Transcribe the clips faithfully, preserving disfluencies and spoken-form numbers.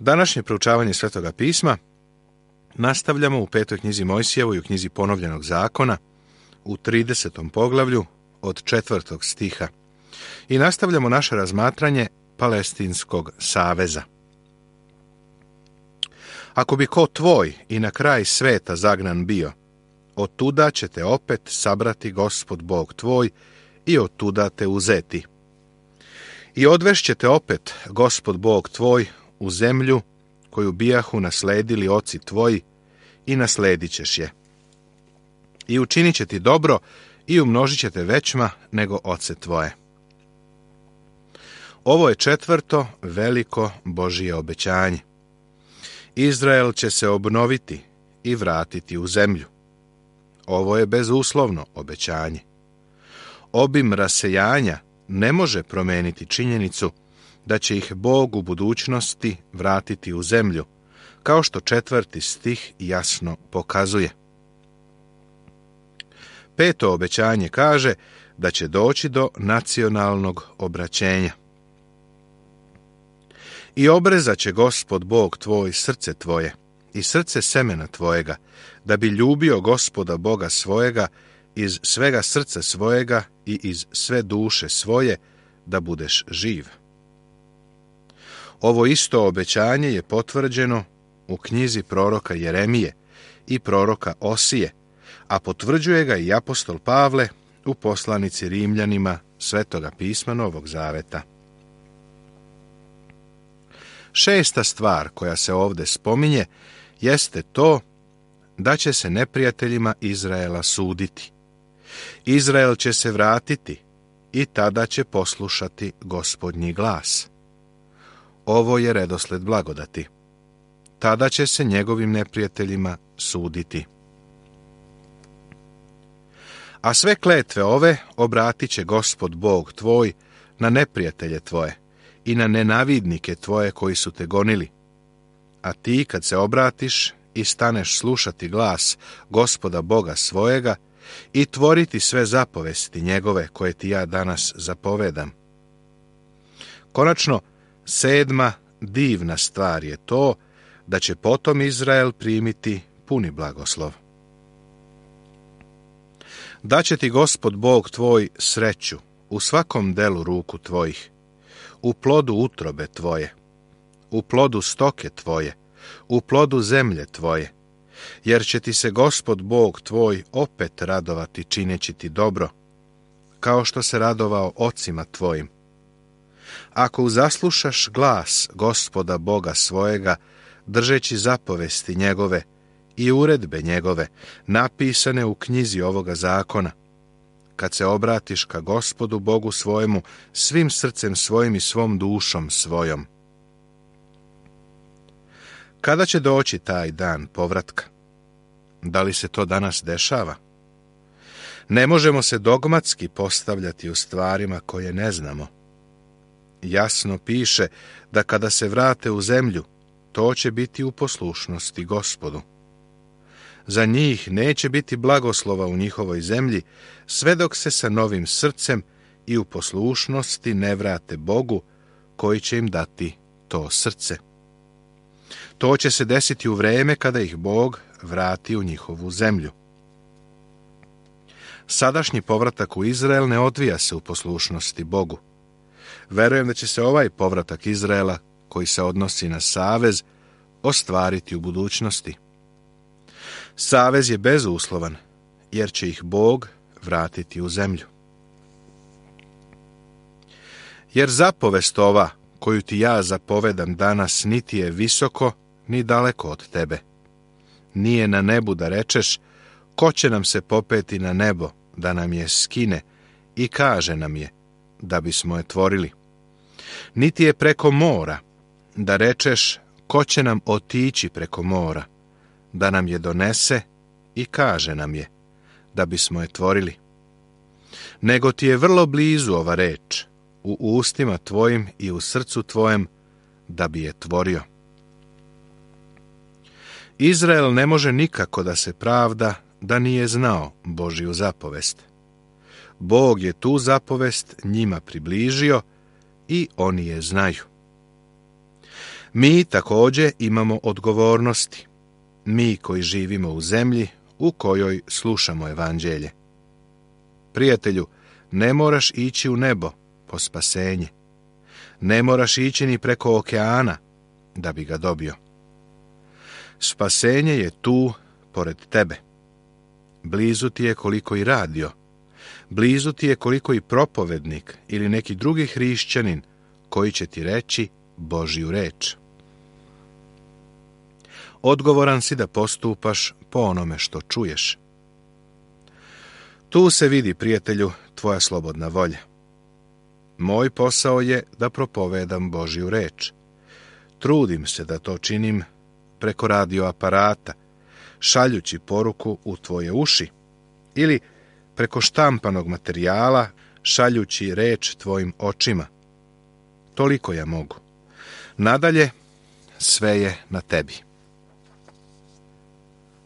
Današnje proučavanje Svetoga pisma nastavljamo u petoj knjizi Mojsijevoj, u knjizi Ponovljenog zakona, u tridesetom poglavlju od četvrtog stiha. I nastavljamo naše razmatranje Palestinskog saveza. Ako bi ko tvoj i na kraj sveta zagnan bio, otuda će te opet sabrati Gospod Bog tvoj i otuda te uzeti. I odvešće te opet Gospod Bog tvoj u zemlju koju bijahu nasledili oci tvoji i nasledit ćeš je. I učinit će ti dobro i umnožit će te većma nego oce tvoje. Ovo je četvrto veliko Božije obećanje. Izrael će se obnoviti i vratiti u zemlju. Ovo je bezuslovno obećanje. Obim rasejanja ne može promijeniti činjenicu da će ih Bog u budućnosti vratiti u zemlju, kao što četvrti stih jasno pokazuje. Peto obećanje kaže da će doći do nacionalnog obraćenja. I obrezat će Gospod Bog tvoj srce tvoje i srce semena tvojega, da bi ljubio Gospoda Boga svojega iz svega srca svojega i iz sve duše svoje, da budeš živ. Ovo isto obećanje je potvrđeno u knjizi proroka Jeremije i proroka Osije, a potvrđuje ga i apostol Pavle u poslanici Rimljanima Svetoga pisma Novog Zaveta. Šesta stvar koja se ovdje spominje jeste to da će se neprijateljima Izraela suditi. Izrael će se vratiti i tada će poslušati Gospodnji glas. Ovo je redosled blagodati. Tada će se njegovim neprijateljima suditi. A sve kletve ove obratit će Gospod Bog tvoj na neprijatelje tvoje i na nenavidnike tvoje koji su te gonili. A ti kad se obratiš i staneš slušati glas Gospoda Boga svojega i tvoriti sve zapovesti njegove koje ti ja danas zapovedam. Konačno, sedma divna stvar je to da će potom Izrael primiti puni blagoslov. Daće ti Gospod Bog tvoj sreću u svakom delu ruku tvojih, u plodu utrobe tvoje, u plodu stoke tvoje, u plodu zemlje tvoje, jer će ti se Gospod Bog tvoj opet radovati čineći ti dobro, kao što se radovao ocima tvojim. Ako zaslušaš glas Gospoda Boga svojega, držeći zapovesti njegove i uredbe njegove, napisane u knjizi ovoga zakona, kad se obratiš ka Gospodu Bogu svojemu svim srcem svojim i svom dušom svojom. Kada će doći taj dan povratka? Da li se to danas dešava? Ne možemo se dogmatski postavljati u stvarima koje ne znamo. Jasno piše da kada se vrate u zemlju, to će biti u poslušnosti Gospodu. Za njih neće biti blagoslova u njihovoj zemlji, sve dok se sa novim srcem i u poslušnosti ne vrate Bogu, koji će im dati to srce. To će se desiti u vreme kada ih Bog vrati u njihovu zemlju. Sadašnji povratak u Izrael ne odvija se u poslušnosti Bogu. Verujem da će se ovaj povratak Izraela, koji se odnosi na savez, ostvariti u budućnosti. Savez je bezuslovan, jer će ih Bog vratiti u zemlju. Jer zapovest ova, koju ti ja zapovedam danas, niti je visoko, ni daleko od tebe. Nije na nebu da rečeš, ko će nam se popeti na nebo, da nam je skine, i kaže nam je, da bismo je tvorili. Niti je preko mora, da rečeš, ko će nam otići preko mora, da nam je donese i kaže nam je, da bismo je tvorili. Nego ti je vrlo blizu ova reč, u ustima tvojim i u srcu tvojem, da bi je tvorio. Izrael ne može nikako da se pravda da nije znao Božju zapovest. Bog je tu zapovest njima približio i oni je znaju. Mi također imamo odgovornosti, mi koji živimo u zemlji u kojoj slušamo evanđelje. Prijatelju, ne moraš ići u nebo po spasenje. Ne moraš ići ni preko okeana da bi ga dobio. Spasenje je tu, pored tebe. Blizu ti je koliko i radio. Blizu ti je koliko i propovednik ili neki drugi hrišćanin koji će ti reći Božju reč. Odgovoran si da postupaš po onome što čuješ. Tu se vidi, prijatelju, tvoja slobodna volja. Moj posao je da propovedam Božju reč. Trudim se da to činim preko radioaparata, šaljući poruku u tvoje uši, ili preko štampanog materijala, šaljući reč tvojim očima. Toliko ja mogu. Nadalje, sve je na tebi.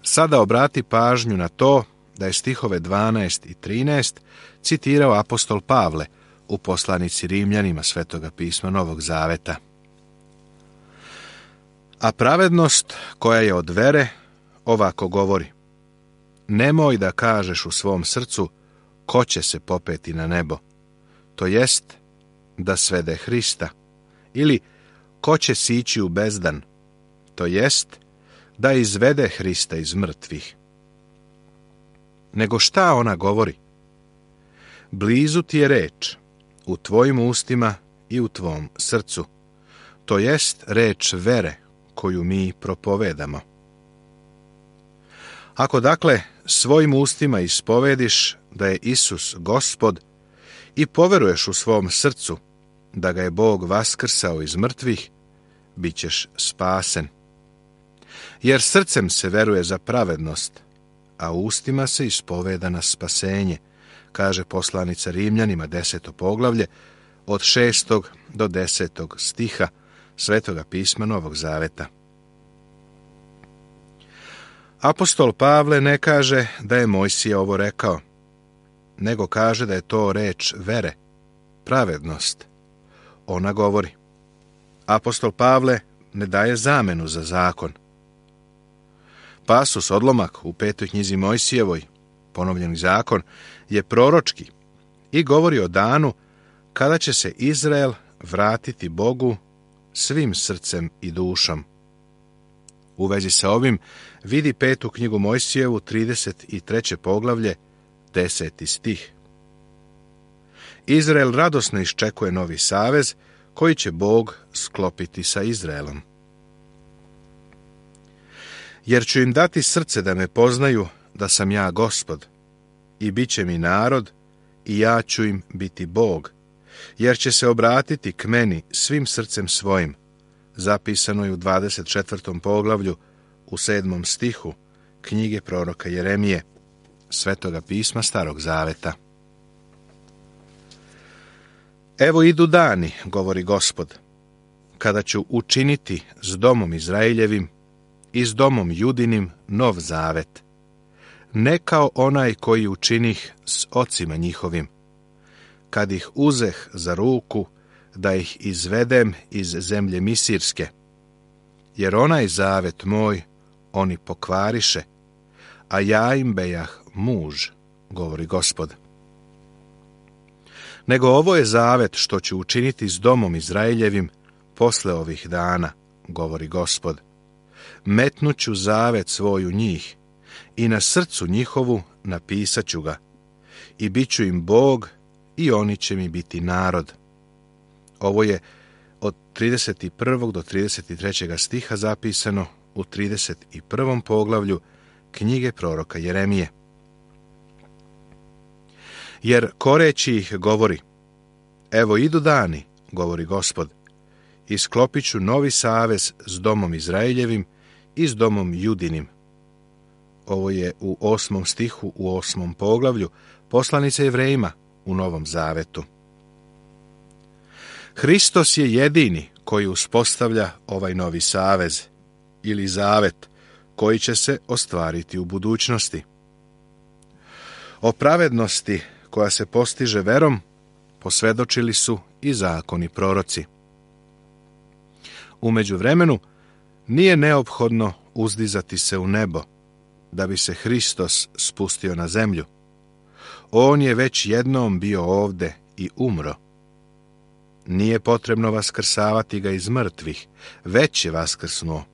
Sada obrati pažnju na to da je stihove dvanaest i trinaest citirao apostol Pavle u poslanici Rimljanima Svetoga pisma Novog Zaveta. A pravednost koja je od vere ovako govori: nemoj da kažeš u svom srcu ko će se popeti na nebo, to jest da svede Hrista, ili ko će sići u bezdan, to jest da izvede Hrista iz mrtvih. Nego šta ona govori? Blizu ti je reč, u tvojim ustima i u tvom srcu, to jest reč vere koju mi propovedamo. Ako dakle svojim ustima ispovediš da je Isus Gospod i poveruješ u svom srcu da ga je Bog vaskrsao iz mrtvih, bit ćeš spasen. Jer srcem se veruje za pravednost, a ustima se ispoveda na spasenje, kaže poslanica Rimljanima deseto poglavlje od šestog do desetog stiha Svetoga pisma Novog Zaveta. Apostol Pavle ne kaže da je Mojsije ovo rekao, nego kaže da je to reč vere, pravednost. Ona govori. Apostol Pavle ne daje zamenu za zakon. Pasus odlomak u petoj knjizi Mojsijevoj, ponovljeni zakon, je proročki i govori o danu kada će se Izrael vratiti Bogu svim srcem i dušom. U vezi sa ovim vidi petu knjigu Mojsijevu, trideset treće poglavlje, deseti stih. Izrael radosno iščekuje novi savez koji će Bog sklopiti sa Izraelom. Jer ću im dati srce da me poznaju da sam ja Gospod, i bit će mi narod, i ja ću im biti Bog, jer će se obratiti k meni svim srcem svojim, zapisano je u dvadeset četvrtom poglavlju, u sedmom stihu knjige proroka Jeremije, Svetoga pisma Starog Zaveta. Evo idu dani, govori Gospod, kada ću učiniti s domom Izraeljevim i s domom Judinim nov zavet, ne kao onaj koji učinih s ocima njihovim, kad ih uzeh za ruku da ih izvedem iz zemlje Misirske, jer onaj zavet moj oni pokvariše, a ja im bejah muž, govori Gospod. Nego ovo je zavet što ću učiniti s domom Izraeljevim posle ovih dana, govori Gospod. Metnuću zavet svoj u njih i na srcu njihovu napisat ću ga, i bit ću im Bog i oni će mi biti narod. Ovo je od trideset prvog do trideset trećeg stiha zapisano u trideset prvom poglavlju knjige proroka Jeremije. Jer koreći ih govori, evo idu dani, govori Gospod, i sklopit ću novi savez s domom Izraeljevim i s domom Judinim. Ovo je u osmom stihu u osmom poglavlju poslanice Jevrejima u Novom Zavetu. Hristos je jedini koji uspostavlja ovaj novi savez ili zavet koji će se ostvariti u budućnosti. O pravednosti koja se postiže verom posvjedočili su i zakoni proroci. U međuvremenu nije neophodno uzdizati se u nebo, da bi se Hristos spustio na zemlju. On je već jednom bio ovde i umro. Nije potrebno vaskrsavati ga iz mrtvih, već je vaskrsnuo.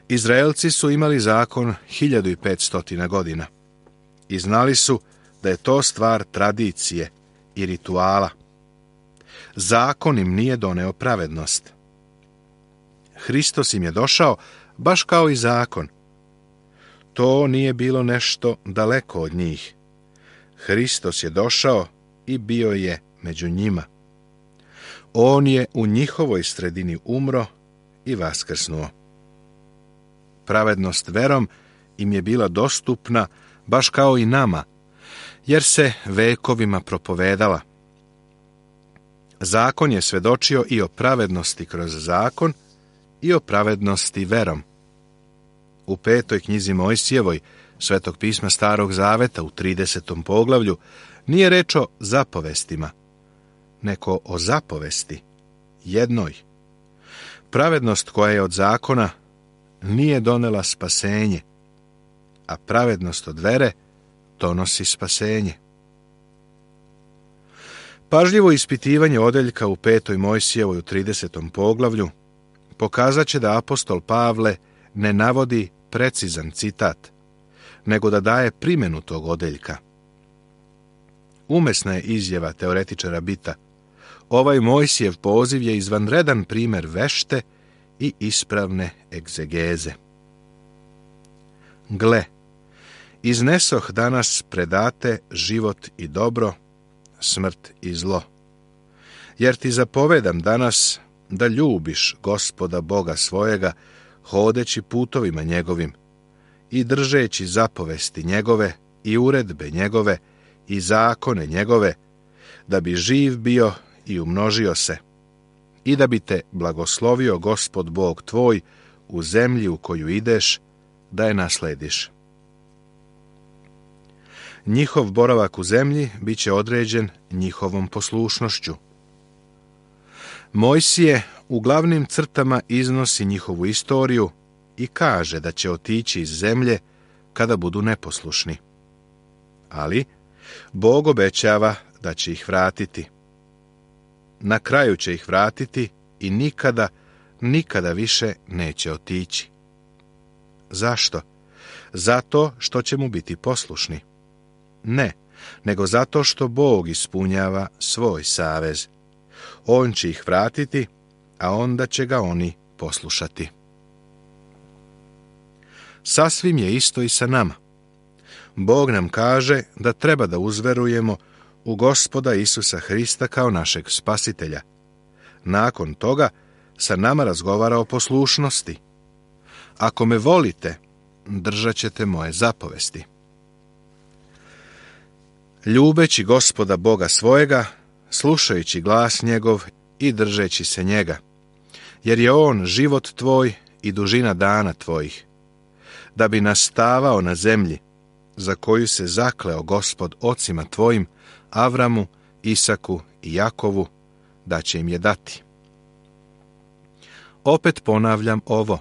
Izraelci su imali zakon hiljadu i petstotina godina i znali su da je to stvar tradicije i rituala. Zakon im nije doneo pravednost. Hristos im je došao baš kao i zakon. To nije bilo nešto daleko od njih. Hristos je došao i bio je među njima. On je u njihovoj sredini umro i vaskrsnuo. Pravednost verom im je bila dostupna baš kao i nama, jer se vekovima propovedala. Zakon je svedočio i o pravednosti kroz zakon i o pravednosti verom. U petoj knjizi Mojsijevoj, Svetog pisma Starog zaveta u tridesetom poglavlju, nije reč o zapovestima, nego o zapovesti, jednoj. Pravednost koja je od zakona nije donela spasenje, a pravednost od vere donosi spasenje. Pažljivo ispitivanje odeljka u petoj Mojsijevoj u tridesetom poglavlju pokazat će da apostol Pavle ne navodi precizan citat, nego da daje primjenu tog odeljka. Umesna je izjava teoretičara Bita. Ovaj Mojsijev poziv je izvanredan primjer vešte i ispravne egzegeze. Gle, iznesoh danas predate život i dobro, smrt i zlo. Jer ti zapovedam danas da ljubiš Gospoda Boga svojega, hodeći putovima njegovim i držeći zapovesti njegove i uredbe njegove i zakone njegove, da bi živ bio i umnožio se, i da bi te blagoslovio Gospod Bog tvoj u zemlji u koju ideš, da je naslediš. Njihov boravak u zemlji bit će određen njihovom poslušnošću. Mojsije u glavnim crtama iznosi njihovu istoriju i kaže da će otići iz zemlje kada budu neposlušni. Ali Bog obećava da će ih vratiti. Na kraju će ih vratiti i nikada, nikada više neće otići. Zašto? Zato što će mu biti poslušni. Ne, nego zato što Bog ispunjava svoj savez. On će ih vratiti, a onda će ga oni poslušati. Sasvim je isto i sa nama. Bog nam kaže da treba da uzverujemo u Gospoda Isusa Hrista kao našeg spasitelja. Nakon toga sa nama razgovara o poslušnosti. Ako me volite, držat ćete moje zapovesti. Ljubeći Gospoda Boga svojega, slušajući glas njegov i držeći se njega, jer je on život tvoj i dužina dana tvojih, da bi nastavao na zemlji, za koju se zakleo Gospod ocima tvojim, Avramu, Isaku i Jakovu, da će im je dati. Opet ponavljam ovo.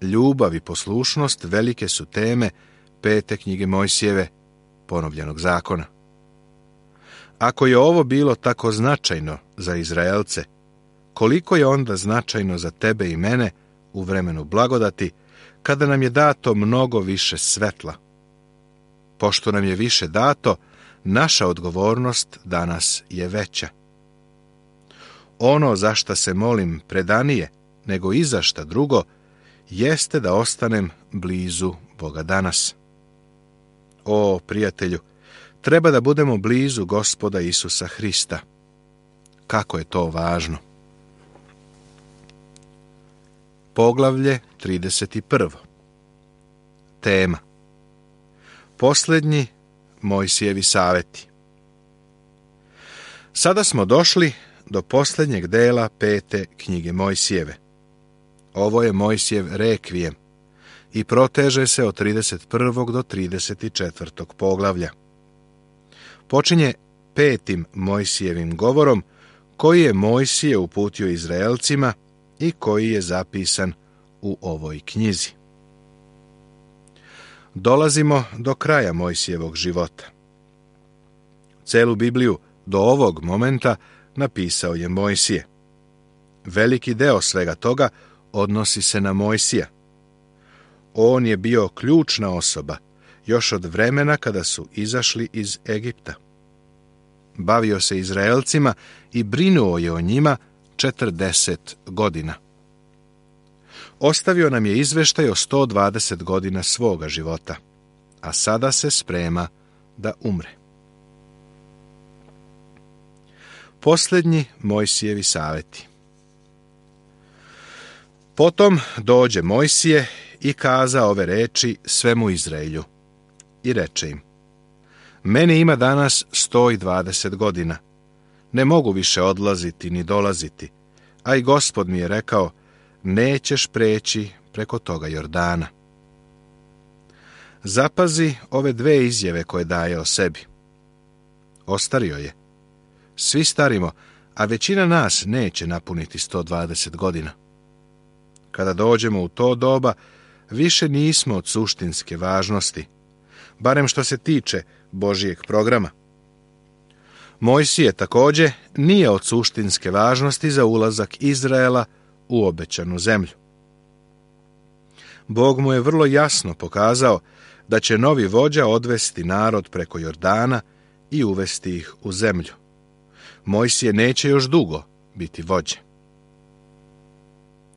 Ljubav i poslušnost velike su teme pete knjige Mojsijeve, ponovljenog zakona. Ako je ovo bilo tako značajno za Izraelce, koliko je onda značajno za tebe i mene u vremenu blagodati, kada nam je dato mnogo više svetla? Pošto nam je više dato, naša odgovornost danas je veća. Ono za šta se molim predanije, nego i za šta drugo, jeste da ostanem blizu Boga danas. O, prijatelju, treba da budemo blizu Gospoda Isusa Hrista. Kako je to važno! Poglavlje trideset prvo. Tema: Posljednji Mojsijevi saveti. Sada smo došli do posljednjeg dela pete knjige Mojsijeve. Ovo je Mojsijev rekvijem i proteže se od trideset prvog do trideset četvrtog poglavlja. Počinje petim Mojsijevim govorom koji je Mojsije uputio Izraelcima i koji je zapisan u ovoj knjizi. Dolazimo do kraja Mojsijevog života. Celu Bibliju do ovog momenta napisao je Mojsije. Veliki deo svega toga odnosi se na Mojsija. On je bio ključna osoba još od vremena kada su izašli iz Egipta. Bavio se Izraelcima i brinuo je o njima četrdeset godina. Ostavio nam je izveštaj o sto dvadeset godina svoga života, a sada se sprema da umre. Posljednji Mojsijevi savjeti. Potom dođe Mojsije i kaza ove reči svemu Izraelju i reče im: Meni ima danas sto dvadeset godina, ne mogu više odlaziti ni dolaziti, a i Gospod mi je rekao: nećeš preći preko toga Jordana. Zapazi ove dve izjave koje daje o sebi. Ostario je. Svi starimo, a većina nas neće napuniti sto dvadeset godina. Kada dođemo u to doba, više nismo od suštinske važnosti, barem što se tiče Božijeg programa. Mojsije također nije od suštinske važnosti za ulazak Izraela u obećanu zemlju. Bog mu je vrlo jasno pokazao da će novi vođa odvesti narod preko Jordana i uvesti ih u zemlju. Mojsije neće još dugo biti vođe.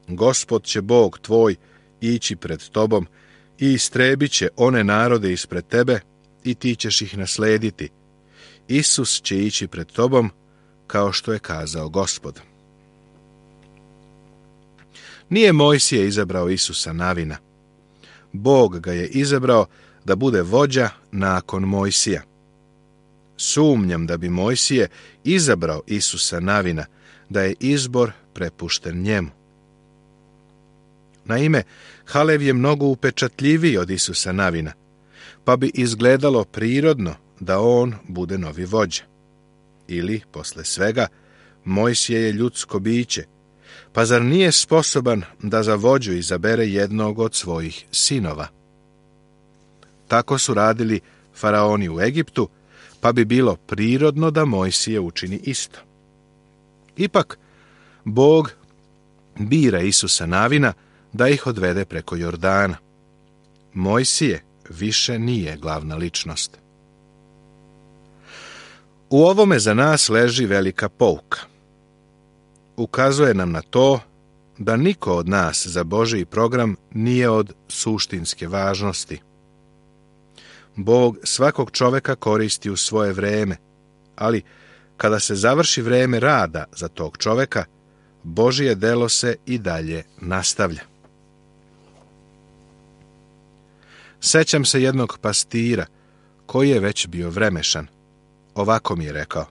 Gospod će Bog tvoj ići pred tobom i istrebit će one narode ispred tebe i ti ćeš ih naslediti. Isus će ići pred tobom kao što je kazao Gospod. Nije Mojsije izabrao Isusa Navina. Bog ga je izabrao da bude vođa nakon Mojsija. Sumnjam da bi Mojsije izabrao Isusa Navina, da je izbor prepušten njemu. Naime, Halev je mnogo upečatljiviji od Isusa Navina, pa bi izgledalo prirodno da on bude novi vođa. Ili, posle svega, Mojsije je ljudsko biće, pa zar nije sposoban da za vođu izabere jednog od svojih sinova? Tako su radili faraoni u Egiptu, pa bi bilo prirodno da Mojsije učini isto. Ipak, Bog bira Isusa Navina da ih odvede preko Jordana. Mojsije više nije glavna ličnost. U ovome za nas leži velika pouka. Ukazuje nam na to da niko od nas za Božji program nije od suštinske važnosti. Bog svakog čoveka koristi u svoje vreme, ali kada se završi vreme rada za tog čoveka, Božje delo se i dalje nastavlja. Sećam se jednog pastira koji je već bio vremešan. Ovako mi je rekao: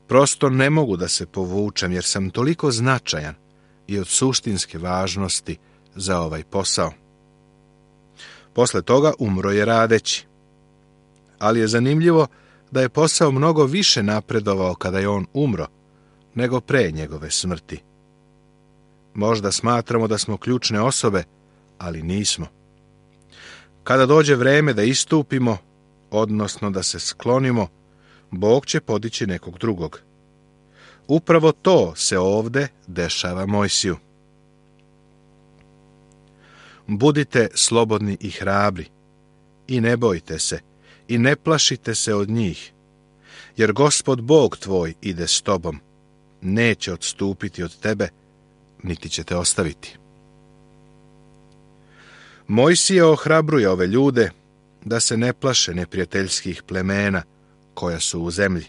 prosto ne mogu da se povučem jer sam toliko značajan i od suštinske važnosti za ovaj posao. Posle toga umro je radeći. Ali je zanimljivo da je posao mnogo više napredovao kada je on umro, nego pre njegove smrti. Možda smatramo da smo ključne osobe, ali nismo. Kada dođe vreme da istupimo, odnosno da se sklonimo, Bog će podići nekog drugog. Upravo to se ovde dešava Mojsiju. Budite slobodni i hrabri, i ne bojte se, i ne plašite se od njih, jer Gospod Bog tvoj ide s tobom, neće odstupiti od tebe, niti će te ostaviti. Mojsije ohrabruje ove ljude da se ne plaše neprijateljskih plemena koja su u zemlji.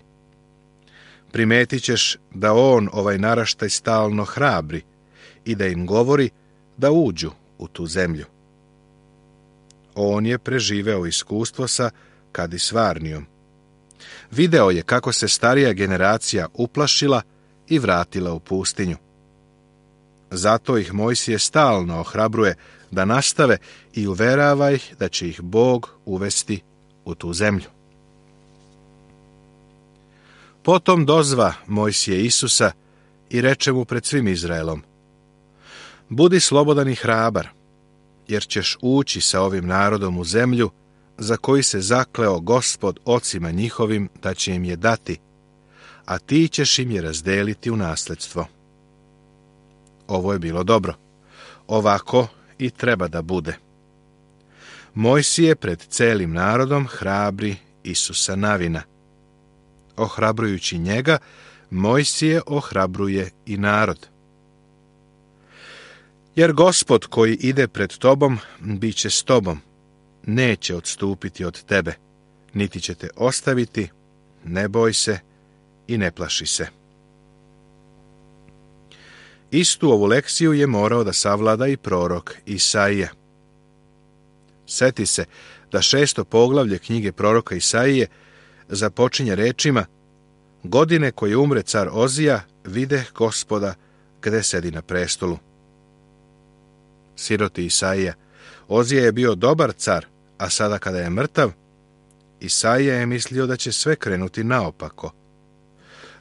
Primetit ćeš da on ovaj naraštaj stalno hrabri i da im govori da uđu u tu zemlju. On je preživeo iskustvo sa Kadisvarnijom. Video je kako se starija generacija uplašila i vratila u pustinju. Zato ih Mojsije stalno ohrabruje da nastave i uverava ih da će ih Bog uvesti u tu zemlju. Potom dozva Mojsije Isusa i reče mu pred svim Izraelom: Budi slobodan i hrabar, jer ćeš ući sa ovim narodom u zemlju za koji se zakleo Gospod ocima njihovim da će im je dati, a ti ćeš im je razdeliti u nasledstvo. Ovo je bilo dobro. Ovako i treba da bude. Mojsije pred celim narodom hrabri Isusa Navina. Ohrabrujući njega, Mojsije ohrabruje i narod. Jer Gospod koji ide pred tobom, bit će s tobom, neće odstupiti od tebe, niti će te ostaviti, ne boj se i ne plaši se. Istu ovu lekciju je morao da savlada i prorok Isaija. Seti se da šesto poglavlje knjige proroka Isaije započinje rečima: Godine koje umre car Ozija, videh Gospoda gde sedi na prestolu. Siroti Isaija, Ozija je bio dobar car, a sada kada je mrtav, Isaija je mislio da će sve krenuti naopako.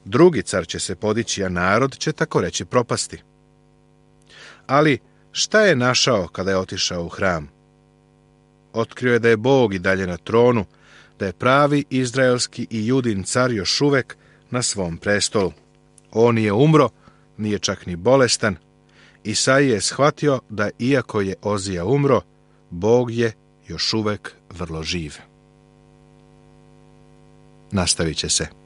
Drugi car će se podići, a narod će tako reći propasti. Ali šta je našao kada je otišao u hram? Otkrio je da je Bog i dalje na tronu, da je pravi izraelski i Judin car još uvek na svom prestolu. On nije umro, nije čak ni bolestan. Isaija je shvatio da iako je Ozija umro, Bog je još uvek vrlo živ. Nastavit će se.